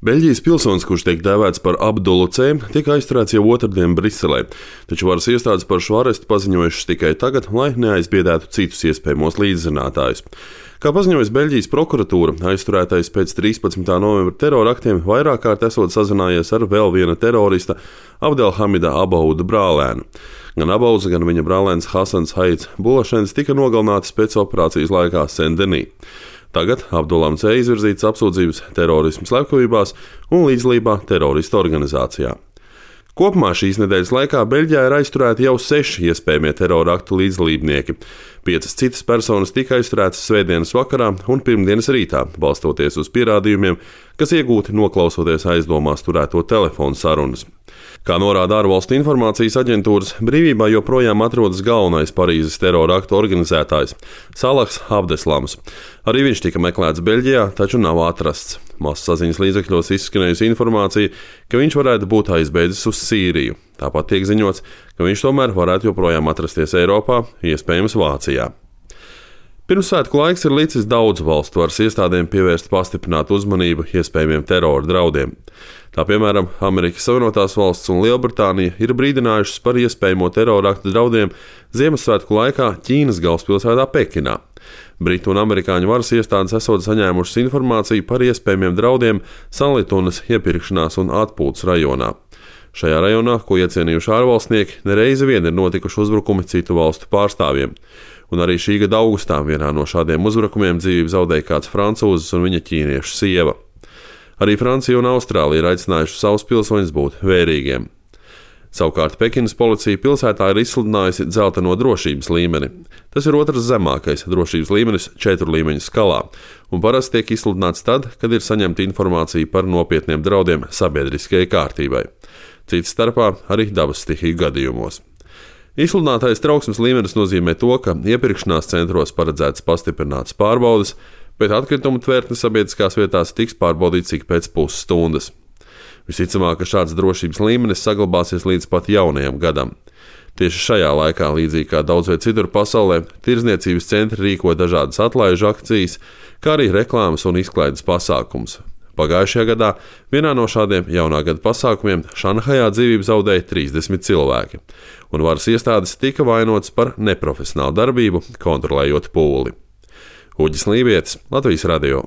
Beļģijas pilsonis, kurš tiek dēvēts par Abdulu C, tika aizturēts jau otrdien Briselē, taču varas iestādes par šo arestu paziņojušas tikai tagad, lai neaizbiedētu citus iespējamos līdzzinātājus. Kā paziņojas Beļģijas prokuratūra, aizturētais pēc 13. novembra teroraktiem vairāk kārt esot sazinājies ar vēl viena terorista Abdelhamida Abouda brālēnu. Gan Abouds, gan viņa brālēns Hasans Haids Bulašens tika nogalināti pēc operācijas laikā Sendenī. Tagad Abdulam C izvirzītas apsūdzības terorisma slepkavībās un līdzdalībā teroristu organizācijā. Kopumā šīs nedēļas laikā Beļģijā ir aizturēti jau 6 iespējamie terora aktu līdzdalībnieki. 5 citas personas tika aizturētas svētdienas vakarā un pirmdienas rītā, balstoties uz pierādījumiem, kas iegūti noklausoties aizdomās turēto telefonu sarunas. Kā norāda ārvalstu informācijas aģentūras, brīvībā joprojām atrodas galvenais Parīzes terora aktu organizētājs Salahs Abdeslams. Arī viņš tika meklēts Beļģijā, taču nav atrasts. Masasaziņas līdzekļos izskanējusi informācija, ka viņš varētu būt aizbēdzis uz Sīriju. Tāpat tiek ziņots, ka viņš tomēr varētu joprojām atrasties Eiropā, iespējams Vācijā. Pirmsvētku laiks ir licis daudzu valstu varas iestādēm pievērst pastiprinātu uzmanību iespējamiem terora draudiem. Tā piemēram, Amerikas Savienotās valsts un Lielbritānija ir brīdinājušas par iespējamo terora aktu draudiem Ziemassvētku laikā Ķīnas galvaspilsētā Pekinā. Britu un amerikāņu varas iestādes esot saņēmušas informāciju par iespējamiem draudiem Sanlitunas iepirkšanās un atpūtas rajonā. Šajā rajonā, ko iecienījuši ārvalstnieki, nereizi vien ir notikuši uzbrukumi citu valstu pārstāvjiem. Un arī šī gada augustā vienā no šādiem uzbrukumiem dzīvību zaudēja kāds francūzis un viņa ķīniešu sieva. Arī Francija un Austrālija ir aicinājuši savus pilsoņus būt vērīgiem. Savukārt Pekinas policija pilsētā ir izsludinājusi dzelteno drošības līmeni. Tas ir otrs zemākais drošības līmenis 4 līmeņu skalā, un parasti tiek izsludināts tad, kad ir saņemta informācija par nopietniem draudiem sabiedriskajai kārtībai. Cits starpā arī dabas stihiju gadījumos. Izsludinātais trauksmes līmenis nozīmē to, ka iepirkšanās centros paredzētas pastiprinātas pārbaudes, bet atkritumu tvertnes sabiedriskās vietās tiks pārbaudīts ik pēc pusstundas. Visticamāk, ka šāds drošības līmenis saglabāsies līdz pat jaunajam gadam. Tieši šajā laikā, līdzīgi kā daudz vai citur pasaulē, tirdzniecības centri rīko dažādas atlaižu akcijas, kā arī reklāmas un izklaides pasākums. Pagājušajā gadā vienā no šādiem jaunā gada pasākumiem Šanhajā dzīvību zaudēja 30 cilvēki, un varas iestādes tika vainotas par neprofesionālu darbību, kontrolējot pūli. Uģis Lībietis, Latvijas radio.